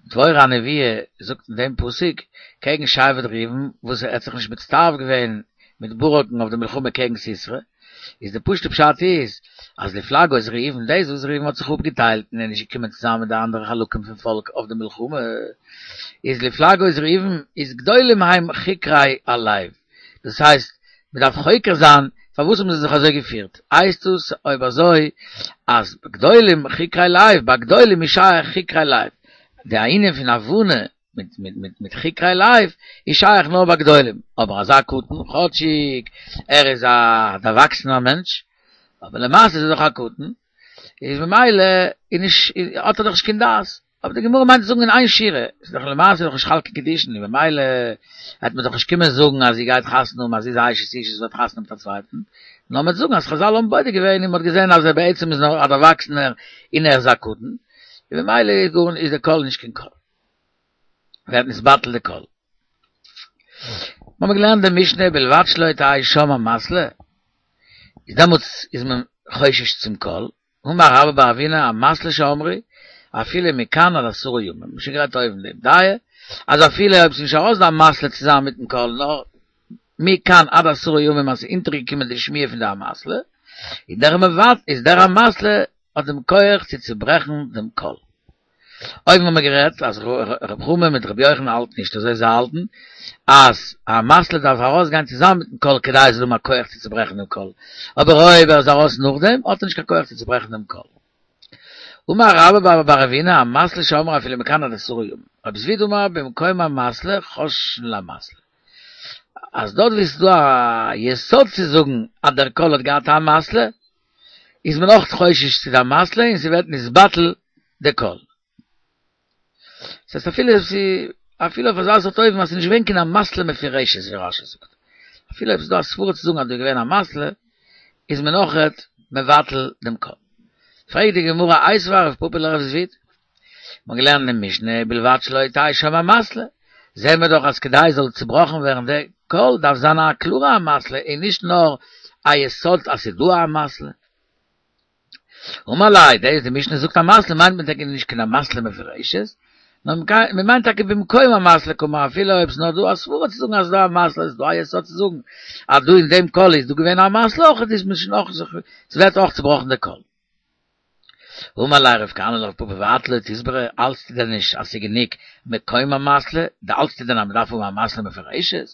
דבורה הנביאה זאגט אין דעם פסוק קעגן שבט ראובן וואס ער האט זיך נישט מצטרף געווען מיט ברק'ן אויף די מלחמה קעגן סיסרא, איז די פשוטע פשט איז אז לפלגות ראובן דאס וואס ראובן האט זיך אפגעטיילט און איז נישט געקומען צוזאמען מיט די אנדערע חלקים פון פאלק אויף די מלחמה איז לפלגות ראובן איז גדולים הם חקרי הלב דאס הייסט מען דארף חוקר זיין פארוואס האבן זיי זיך אזוי געפירט הייסט עס אויב אזוי אז גדולים חקרי לב ביי גדולים איז שייך חקרי לב די ענין פון הבנה מיט מיט מיט מיט חקרי לב איז שייך נאר ביי גדולים, אבער אזא קטן, כאטשיג ער איז א דערוואקסענער מענטש, אבער למעשה איז ער דאך א קטן, איז ממילא איז נישט האט ער דאך נישט קיין דעת, אבער די גמרא מיינט צו זאגן אין איין שורה, איז דאך למעשה דאך נישט חל קיין קידושין, און ממילא העט מען דאך נישט קומען זאגן אז זי גייט חתונה האבן אז זי איז א אשת איש און זי וועט חתונה האבן מיט א צווייטן, נאר מ'וועט זאגן אז חזל האבן בודק געווען און מ'האט געזען אז ער בעצם איז נאר א דערוואקסענער און ער איז א קטן, און ממילא איז גאר איז די קול נישט קיין קול. ווערט נתבטל די קול. מ'האמיר געלערנט די משנה בלבד שלא תהא שם אמתלא, איז דעמאלטס איז מען חושש צום קול, אמר רבה בר אבינא אמתלא שאמרו אפילו מכאן עד עשרה ימים, מ'האט שוין גערעדט אויבן דעם דעה, אז אפילו אויב ס'איז נישט ארויס די אמתלא צוזאמען מיטן קול נאר מכאן עד עשרה ימים אז ס'איז אונטערגעקומען די שמועה פון די אמתלא, איז דער מבט איז דער אמתלא האט דעם כח צו צוברעכן דעם קול. אויבן האבן מיר גערעדט אז ר' חמא מיט ר' יוחנן האלטן נישט אזוי, זיי האלטן אז א אמתלא דארף ארויסגיין צוזאמען מיטן קול כדי עס זאל האבן א כח צו צוברעכן דעם קול, אבער אויב ער איז ארויס נאכדעם האט ער נישט קיין כח צו צוברעכן דעם קול. אמר רבה בר אבינא אמתלא שאמרו אפילו מכאן עד עשרה ימים, רב זביד אמר במקום אמתלא חוששין לאמתלא, אז דארט ווי עס איז דא א יסוד צו זאגן אז דער קול האט געהאט א אמתלא, איז מען אויך חושש צו די אמתלא און ס'ווערט נתבטל די קול. ס'הייסט אפילו אויב ס'איז אפילו אויף אזא סארט אופן אז ס'איז נישט געווען קיין אמתלא מפורשת ווי רש"י זאגט, אפילו אויב ס'איז דא א סברא צו זאגן אז דא איז געווען אמתלא, איז מען אויכעט מבטל דעם קול. פרעגט די גמרא איתיביה רב פפא לרב זביד, מ'האט געלערנט אין משנה ובלבד שלא תהא שם אמתלא, זעהן מיר דאך אז כדי עס זאל צובראכן ווערן די קול דארף זיין א קלארע אמתלא און נישט נאר א יסוד אז ס'איז דא א אמתלא. אמר ליה, דאס די משנה זאגט אמתלא מיינט מען טאקע נישט קיין אמתלא מפורשת, נאר מען מיינט טאקע במקום אמתלא קאמר אפילו אויב ס'איז נאר דא א סברא צו זאגן אז ס'איז דא אמתלא איז דא א יסוד צו זאגן אז דא אין דעם קול איז דא געווען א אמתלא אויך איז מען שוין אויך ס'ווערט אויך צובראכן די קול. אמר ליה רב כהנא לרב פפא ואת לא תסברא, האלטסטו דען נישט אז ס'איז גענוג מקום אמתלא, דו האלטסטו דען אז מ'דארף האבן אמתלא מפורשת?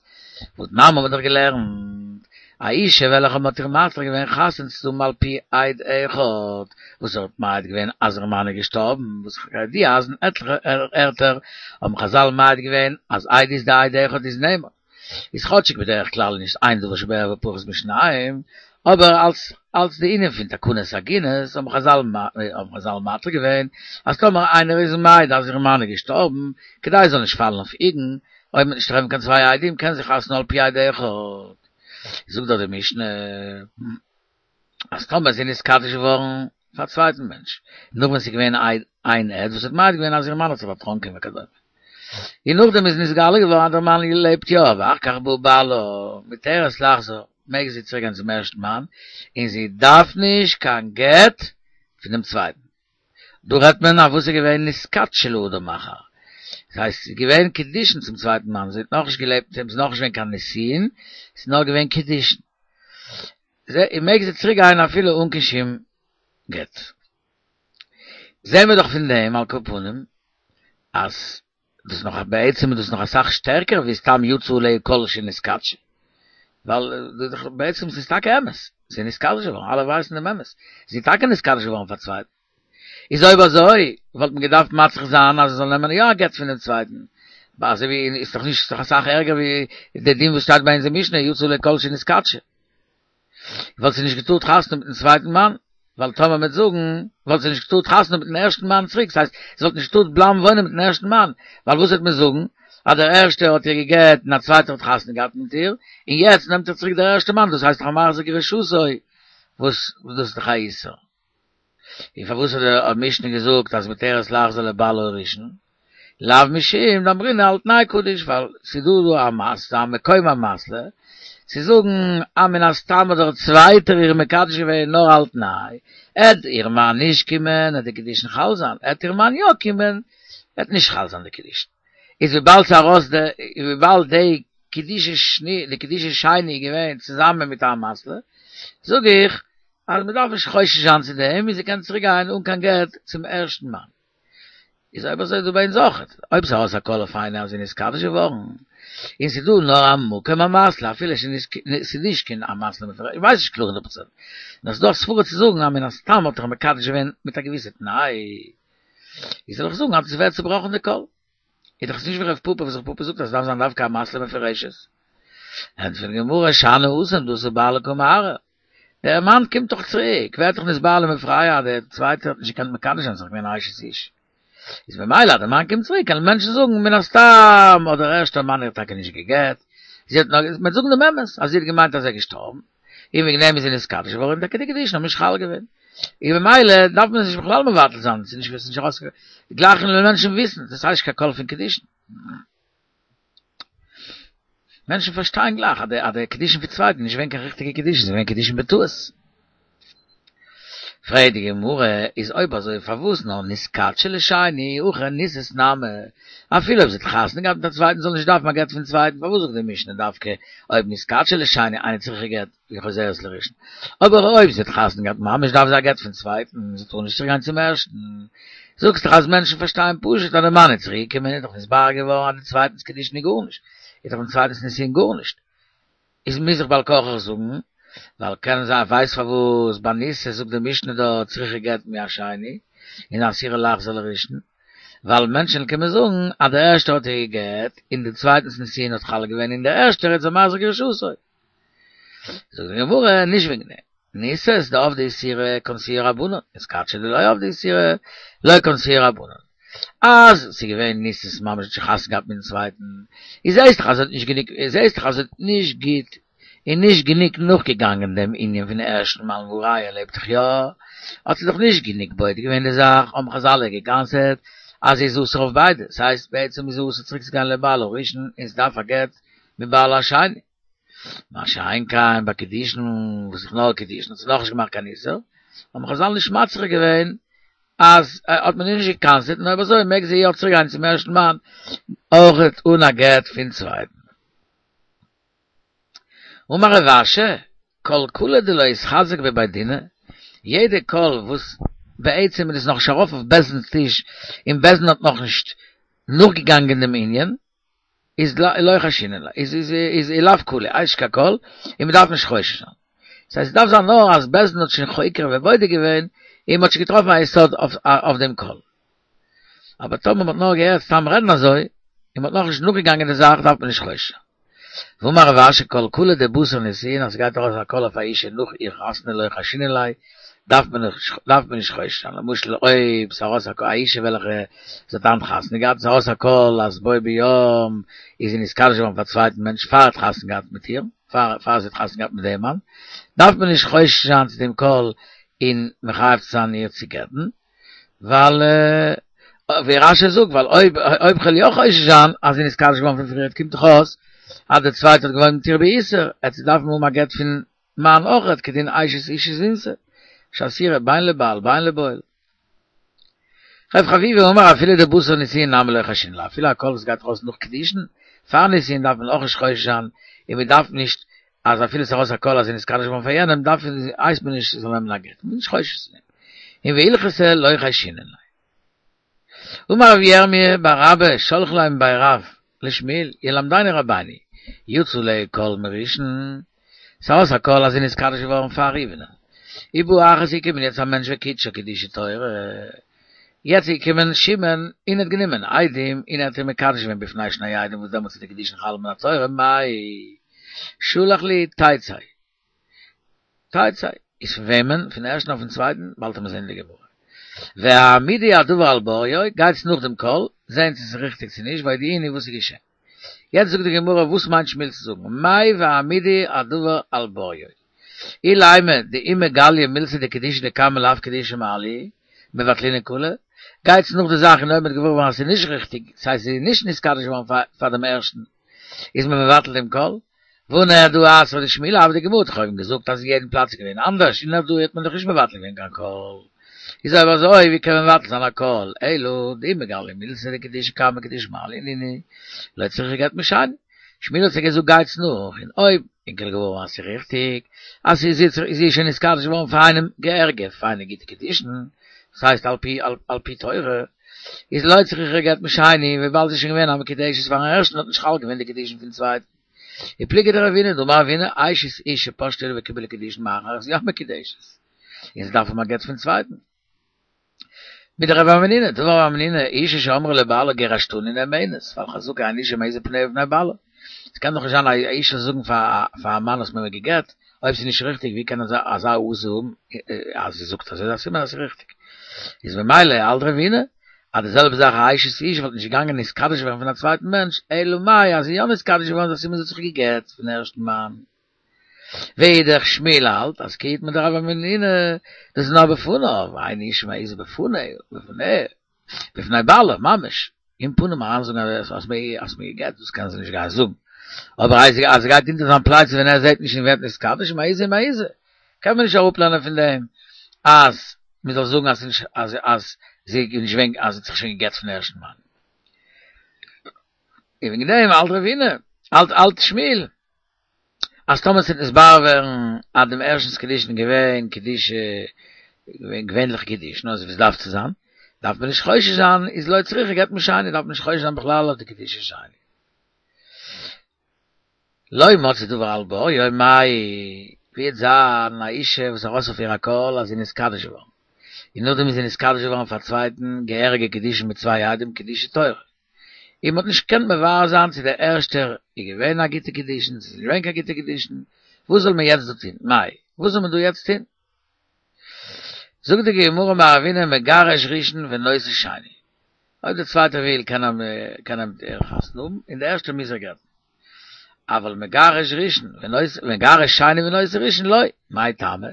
והתנן האבן מיר דאך געלערנט, א אישה וועלכע מ'האט איר מתיר געווען חתונה צו האבן על פי עד אחד, וואס ער האט מעיד געווען אז איר מאן איז געשטארבן, וואס כידוע אז אין עטליכע ערטער האבן חזל מעיד געווען אז עדות דעד אחד איז נאמן. איז כאטשיג בדרך כלל נישט אין דבר שבערוה פחות משניים, אבער אלס אלס די ענין פון תקנת עגונות האבן חזל האבן חזל מתיר געווען אז טאמער איינער איז מעיד אז איר מאן איז געשטארבן, כדי עס זאל נישט פאלן אויף איגן, אויב מ'וועט נישט טרעפן קיין צוויי עדים קען זי חתונה על פי עד אחד. זאגט דאך די משנה אז טאמער זי איז נתקדש געווארן פאר א צווייטן מענטש, נאך ווען ס'איז געווען איין עד וואס האט מעיד געווען אז איר מאן האט זיך דערטראנקען וכדומה, און נאכדעם איז נתגלה געווארן אז דער מאן לעבט יא, ואחר כך בא בעלה, מותרת לחזור, מעג זי צוריק גיין צום ערשטן מאן, און זי דארף נישט קיין גט פון דעם צווייטן. דא רעדט מען אויף וואס איז געווען נתקדשה לאדם אחר, דאס הייסט, זי איז געווען קידושין צום צווייטן מאן, זי האט נאכנישט געלעבט מיט אים, ס'איז נאכנישט געווען קיין נישואין, ס'איז נאר געווען קידושין. זי מעג זי צוריק גיין אפילו אן קיין שום גט. זעהן מיר דאך פון דעם על כל פנים אז דאס נאך בעצם איז דאס נאך אסאך שטערקער ווי סתם יצא עליה קול שנתקדשה. ווייל בעצם ס'איז טאקע אמת, זי איז נתקדש געווארן, אלע ווייסן דעם אמת, זי איז טאקע נתקדש געווארן פאר צווייטן. איז אויב אזוי וואלט מען געדארפט מצריך זיין אז זי זאל נעמען יא א גט פונעם צווייטן, אזוי ווי איז דאך נישט איז דאך אסאך ערגער ווי די דין וואס שטייט ביי אונזער משנה יצא עליה קול שנתקדשה. וואלט זי נישט געטארט חתונה מיטן צווייטן מאן, ווייל טאמער מ'וועט זאגן וואלט זי נישט געטארט חתונה מיטן ערשטן מאן צוריק, ס'הייסט זי וואלט נישט געטארט בלייבן וואוינען מיטן ערשטן מאן, ווייל וואס וועט מען זאגן אז דער ערשטער האט איר גע'גט און א צווייטער האט חתונה געהאט מיט איר, און יעצט נעמט איר צוריק דער ערשטער מאן, דאס הייסט דאך א מחזיר גרושתו, וואס דאס איז דאך א איסור. און פארוואס האט די משנה געזאגט אז מותרת לחזור לבעלה הראשון? לאו משום דאמרינן על תנאי קדיש, ווייל ס'איז דא דא א מס א מקום אמתלא, צו זאגן אז מן הסתם האט דער צווייטער איר מקדש געווען נאר על תנאי, עט איר מאן נישט קומען עט די קידושין חל זיין, עט איר מאן יא קומען עט נישט חל זיין די קידושין. איז וויבאלד ס'איז ארויס די וויבאלד די קידושין שני די קידושין שני איז געווען צוזאמען מיט א אמתלא, זאג איך אז מ'דארף נישט חושש זיין צו דעם און זי קען צוריק גיין אן קיין גט צום ערשטן מאן. איז אויב אזוי דא ביי אונז אויכעט, אויב ס'איז ארויס א קול אויף איינער אז זי איז נתקדש געווארן, און ס'איז דא נאר א מקום אמתלא אפילו ס'איז נישט קיין אמתלא מפורשת, איך ווייס נישט קלאר הונדערט פראצענט, נאר ס'איז דא א סברא צו זאגן אז מן הסתם האט ער מקדש געווען מיט א געוויסע תנאי, איז זאל איך זאגן אז עס ווערט צובראכן די קול. איז דאך עס נישט ווי רב פפא וואס רב פפא זאגט אז עס דארף זיין דווקא אמתלא מפורשת. ענטפערט די גמרא שאני התם דאתא בעלה קא מערער. דער מאן קומט דאך צוריק, ווערט דאך נתבהר למפרע אז דער צווייטער האט נישט געקענט מקדש זיין, ס'איז דאך געווען אשת איש. איז ממילא אז דער מאן קומט צוריק קענען מענטשן זאגן מן הסתם האט דער ערשטער מאן איר טאקע נישט גע'גט, זי האט נאר, מ'וועט זאגן דעם אמת אז זי האט געמיינט אז ער איז געשטארבן, און וועגן דעם איז זי נתקדש געווארן און טאקע די קידושין האבן נישט חל געווען. און ממילא דארף מען עס נישט בכלל מבטל זיין, ס'איז נישט ס'איז נישט ארויס גלייך וועלן מענטשן וויסן, דאס הייסט נישט קיין קול פון קידושין. מענטשן פארשטייען גלייך אז די אז די קידושין פון צווייטן איז נישט געווען קיין ריכטיגע קידושין, ס'איז געווען קידושין בטעות. פרעגט די גמרא, איז אויב אזוי פארוואס נאר נתקדשה לשני, הכא נישאת נמי, אפילו אויב זי האט חתונה געהאט מיט א צווייטן זאל נישט דארפן א גט פון צווייטן, פארוואס זאגט די משנה דווקא אויב נתקדשה לשני אינה צריכה גט וחוזרת לראשון, אבער אויב זי האט חתונה געהאט ממש דארף זי א גט פון צווייטן, זי טאר נישט צוריק גיין צום ערשטן, זאגסט דאך אז מענטשן פארשטייען פשוט אז די מאן איז צוריק געקומען איז דאך נתבהר געווארן אז די צווייטנס קידושין איז גארנישט, איז דאך דעם צווייטנס נישואין גארנישט. איז מוז איך בעל כרחך זאגן, ווייל קען זיין ווייסט פארוואס ביי נישאת זאגט די משנה דא צריכה גט מהשני און אסורה לחזור לראשון, ווייל מענטשען קומען זאגן אז דער ערשטער האט איר גע'גט און די צווייטענס נישואין האט חל געווען און דער ערשטער איז א מחזיר גרושתו. זאגט די גמרא, נישט וועגן דעם. נישאת דעבדה איסורא קנסוה רבנן, נתקדשה דלא עבדה איסורא לא קנסוה רבנן. אז ס'איז געווען נישאת ממש האט שוין חתונה געהאט מיטן צווייטן, איז זעהסט דאך אז זי האט נישט גענוג, זעהסט דאך אז זי האט נישט גוט און נישט גענוג נאכגעגאנגען דעם ענין פון ערשטן מאן והא ראיה ער לעבט דאך יא, האט זי דאך נישט גענוג בודק געווען די זאך, האבן חזל איר גע'קנס'עט אז זי איז אסור אויף ביידע, ס'הייסט בעצם איז זי אסור צוריק צו גיין לבעלה הראשון און זי דארף א גט מבעלה השני. מה שאין כן ביי קידושין וואס איז נאר קידושין האט זי נאכנישט געמאכט קיין איסור, האבן חזל נישט מצריך געווען אז האט מען איר נישט גע'קנס'עט און אויב אזוי מעג זי יא צוריק גיין צום ערשטן מאן אויכעט אן א גט פון צווייטן. אמר רב אשי, כל קלא דלא איתחזק בבי דינא, יעדע קול וואס בעצם איז עס נאכנישט ארויף אויף בית דין'ס טיש און בית דין האט נאכנישט נאכגעגאנגען דעם ענין, איז לא חיישינן ליה, איז איז איז לאו קלא, הייסט נישט קיין קול, און מ'דארף נישט חושש זיין. ס'הייסט ס'דארף זיין נאר אז בית דין האט שוין חוקר ובודק געווען, און מ'האט שוין געטראפן א יסוד אויף דעם קול. אבער טאמער מ'האט נאר געהערט סתם רעדן אזוי, און מ'האט נאכנישט נאכגעגאנגען די זאך, דארף מען נישט חושש זיין. ואמר רב אשי כל קלא דבתר נישואין אז ס'גייט ארויס א קול אויף א אישה נאך איר חתונה לא חיישינן ליה, דארף מען נישט דארף מען נישט חושש זיין, למשל אויב ס'איז ארויס א אישה וועלכע זי האט היינט חתונה געהאט, ס'איז ארויס א קול אז בו ביום איז זי נתקדש געווארן פאר א צווייטן מענטש פאר ער האט חתונה געהאט מיט איר, פאר פאר זי האט חתונה געהאט מיט דעם מאן, דארף מען נישט חושש זיין צו דעם קול און מחייב צו זיין איר צו גט'ן, ווייל ווי רש"י זאגט ווייל אויב אויב כ'וועל יא חושש זיין אז זי איז נתקדש געווארן פון פריערט קומט דאך אויס אז דער צווייטער האט געוואוינט מיט איר באיסור, עט זי דארפן האבן א גט פון מאן אויכעט כדין אשת איש זינתה שאסורה בין לבעל בין לבועל. רב חביבא אמר אפילו דבתר נישואין נמי לא חיישינן לה, אפילו א קול וואס גייט ארויס נאך קידושין, פאר נישואין דארף מען אויך נישט חושש זיין, און מען דארף נישט אז אפילו ס'איז ארויס א קול אז זי איז נתקדש געווארן פאר יענעם דארף הייסט מען נישט זי זאל נעמען א גט, מען איז נישט חושש צו דעם. און והלכתא לא חיישינן לה. אמר רבי ירמי' בר אבא שלחו ליה מבי רב לשמואל ילמדנו רבינו יצא עליה קול מראשון ס'איז ארויס א קול אז זי איז נתקדש געווארן פאר ראובן'ען ובא אחר ס'איז געקומען יעצט א מענטש וקידשה קידושי תורה יעצט איז געקומען שמעון און האט גענומען עדים און ער האט איר מקדש געווען בפני שני עדים וואס דעמאלטס איז די קידושין חל מן התורה מאי שלח להו תצא תצא איז פון וועמען? פון ערשטן אדער פון צווייטן? באלד וועט מען זען אין די גמרא. והעמידו הדבר על בוריו, גייטס נאך דעם קול, זען צו ס'איז ריכטיג צו נישט, והודיעוני וואס איז געשען. יעצט זאגט די גמרא וואס מיינט שמואל צו זאגן, מאי והעמידו הדבר על בוריו. אילימא דאי מגליא מילתא דקידושין דקמא לאו קידושי מעליא, מבטלינן קלא, גייטס נאך די זאך און אויב מ'וועט געוואר ווערן אז ס'איז נישט ריכטיג, ס'הייסט זי איז נישט נתקדש געווארן פאר דעם ערשטן, איז מען מבטל דעם קול. והא נהרדעא אתרא דשמואל הוה, די גמרא האט דאך אויבן געזאגט אז אין יעדן פלאץ איז געווען אנדערש, אין נהרדעא האט מען דאך נישט מבטל געווען קיין קול, איז אויב אזוי ווי קען מען מבטל זיין א קול, אלא דאי מגליא מילתא דקידושין קמא קידושי מעליא נינהו לא צריכא גט משני, שמואל האט זיי געזאגט גייטס נאך און אויב ענק וועלן געוואר ווערן אז ס'איז ריכטיג אז זי איז שוין נתקדש געווארן פאר איינעם געהעריגע פיינע גוטע קידושין, דאס הייסט על פי על פי תורה, איז לא צריכא גט משני, וויבאלד זי איז שוין געווען א מקודשת פארן ערשטן האט נישט חל געווען די קידושין פון צווייטן. ופליגא דרבינא דאמר רבינא אשת איש שפשטה עליו וקיבלה קידושין מאחר איז יא מקודשת און זי דארף האבן א גט פון צווייטן. מדרב המנונא דאמר רב המנונא אשה שאמרה לבעלה גירשתני נאמנת ווייל חזקה אין אשה מעיזה פניה בפני בעלה. ס'קען דאך נישט זיין א אישה זאל זאגן פאר א מאן האסט מיר גע'גט אויב ס'איז נישט ריכטיג ווי קען אזא העזה האבן אז זי זאגט אזוי איז א סימן אז ס'איז ריכטיג איז ממילא האלט רבינא אז די זעלבע זאך א אשת איש וואלט נישט געגאנגען נתקדש ווערן פון א צווייטן מענטש, אלא מאי אז זי איז יא נתקדש געווארן איז א סימן זי האט זיך גע'גט פון ערשטן מאן. ואידך שמואל האלט אז כי איתמר דרב המנונא דאס איז נאר בפניו, ואין אשה מעיזה בפניה, בפניה, בפני בעלה, ממש, אין פנים אריין זאגן אז האסט מיר גע'גט, דאס קען זי נישט גיין זאגן, אבער אז זי גייט אונטער זיין פלייצע ווען ער זעט נישט און ווערט נתקדש, מעיזה מעיזה, קען מען נישט אראפלערנען פון דעם אז מען זאל זאגן אז אז אז זי איז נישט געווען אז זי האט זיך שוין גע'גט פון ערשטן מאן. און וועגן דעם האלט רבינא, האלט האלט שמואל, אז טאמער ס'וועט נתברר ווערן אז דעם ערשטנ'ס קידושין איז געווען קידושי געווען געווענליכע קידושין אזוי ווי עס דארף צו זיין, דארף מען נישט חושש זיין, איז לא צריכה גט משני, דארף מען נישט חושש זיין בכלל אויף די קידושי שני. לא מצאו דבר על בוריו מאי, ווי וועט זיין א אישה וואס ארויס אויף איר א קול אז זי איז נתקדש געווארן, און נאכדעם איז זי נתקדש געווארן פאר א צווייטן געהעריגע קידושין מיט צוויי עדים קידושי תורה, און מ'האט נישט געקענט מברר זיין צו דער ערשטער איז געווען א גוטע קידושין צו ס'איז נישט געווען קיין גוטע קידושין, וואס זאל מען יעצט דא טון? מאי, וואס זאל מען דא יעצט טון? זאגט די גמרא אמר רבינא מגרש ראשון ונושא שני, אויב דער צווייטער וויל קען ער קען ער מיט איר חתונה האבן, און דער ערשטער מוז איר גט'ן. אבל מגרש ראשון ונושא מגרש שני ונושא ראשון לא, מאי טעמא?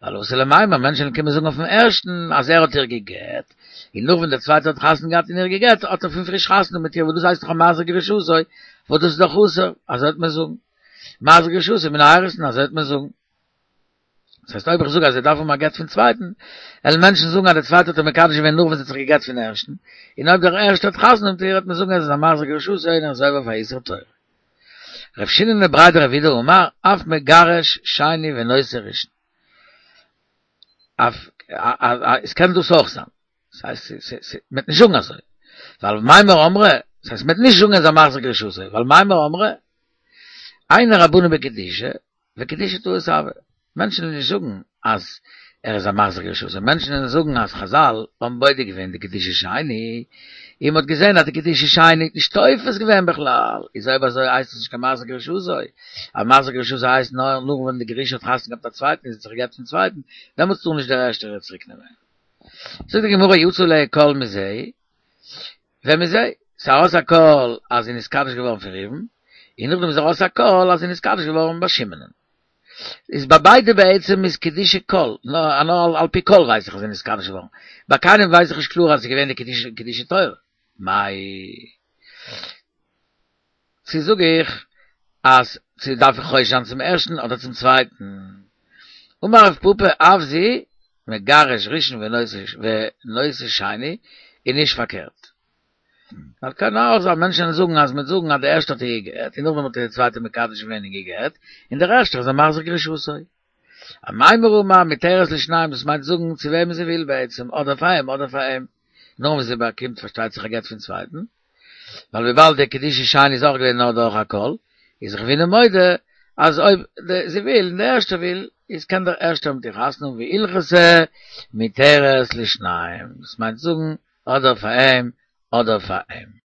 ווייל אתי למימר, מענטשן וועלן קומען זאגן אויפן ערשטן אז ער האט איר גע'גט, און נאך ווען דער צווייטער האט חתונה געהאט און איר גע'גט, האט ער פון פריש חתונה מיט איר, וואס דאס הייסט דאך א מחזיר גרושתו, וואס דאס איז דאך אסור, אזוי וועט מען זאגן. מחזיר גרושתו מן האירוסין, אזוי וועט מען זאגן. דאס הייסט אויב איך זאג אז ער דארף האבן א גט פון צווייטן, וועלן מענטשן זאגן אז דער צווייטער האט איר מקדש געווען נאך ווען זי האט זיך געגט פון ערשטן, און אויב דער ערשטער האט חתונה מיט איר וועט מען זאגן אז ער איז א מחזיר גרושתו און ער איז עובר אויף א איסור תורה. רב שיננא בריה דרב אידי אמר, אף מגרש שני ונושא ראשון. אף, עס קען דאס אויך זיין. דאס הייסט, מ'וועט נישט זאגן אזוי. ווייל מימר אמרי, דאס הייסט מ'וועט נישט זאגן ער איז א מחזיר גרושתו, ווייל מימר אמרי, היינו רבנן בקידושי, וקידושי טעות הוה. מענטשן וועלן נישט זאגן אז ער איז א מחזיר גרושתו, מענטשן וועלן זאגן אז חזל האבן בודק געווען די קידושי שני, און מ'האט געזען אז די קידושי שני איז נישט תופס געווען בכלל, איז אויב אזוי הייסט עס נישט קיין מחזיר גרושתו, א מחזיר גרושתו הייסט נאר נאך ווען די גרושה האט חתונה געהאט מיט א צווייטן און זי האט זיך געגט פון צווייטן, דעמאלטס טאר נישט דער ערשטער איר צוריק נעמען. זאגט די גמרא יצא עליה קול מזה, ומזה, ס'איז ארויס א קול אז זי איז נתקדש געווארן פון ראובן, און נאכדעם איז ארויס א קול אז זי איז נתקדש געווארן ביי שמעונ'ען. איז ביי ביידע בעצם איז קידושי קול, נאר על פי קול ווייס איך אז זי איז נתקדש געווארן, ביי קיינעם ווייס איך נישט קלאר אז ס'איז געווען די קידושי תורה. מאי. צו זאג איך אז צו דארף איך חושש זיין צום ערשטן אדער צום צווייטן? אמר רב פפא אף זו מגרש ראשון ונושא שני, און נישט פארקערט. ווייל קען אויך זיין מענטשן זאגן אז מיט זאגן אז דער ערשטער האט איר גע'גט, און נאכדעם האט דער צווייטער מקדש געווען און גע'גט, און דער ערשטער איז א מחזיר גרושתו. המאמר אומר מותרת לשניהם, דאס מיינט זאגן צו וועמען זי וויל בעצם, אדער פאר אים אדער פאר אים, נאר ווען זי באקומט פארשטייט זיך א גט פון צווייטן, ווייל וויבאלד דער קידושין שני איז אויך געווען נאר דורך א קול, איז רבינא מודה אז אויב זי וויל און דער ערשטער וויל, איז קען דער ערשטער מיט איר חתונה האבן והלכתא מותרת לשניהם, דאס מיינט זאגן אדער פאר אים אדער פאר אים.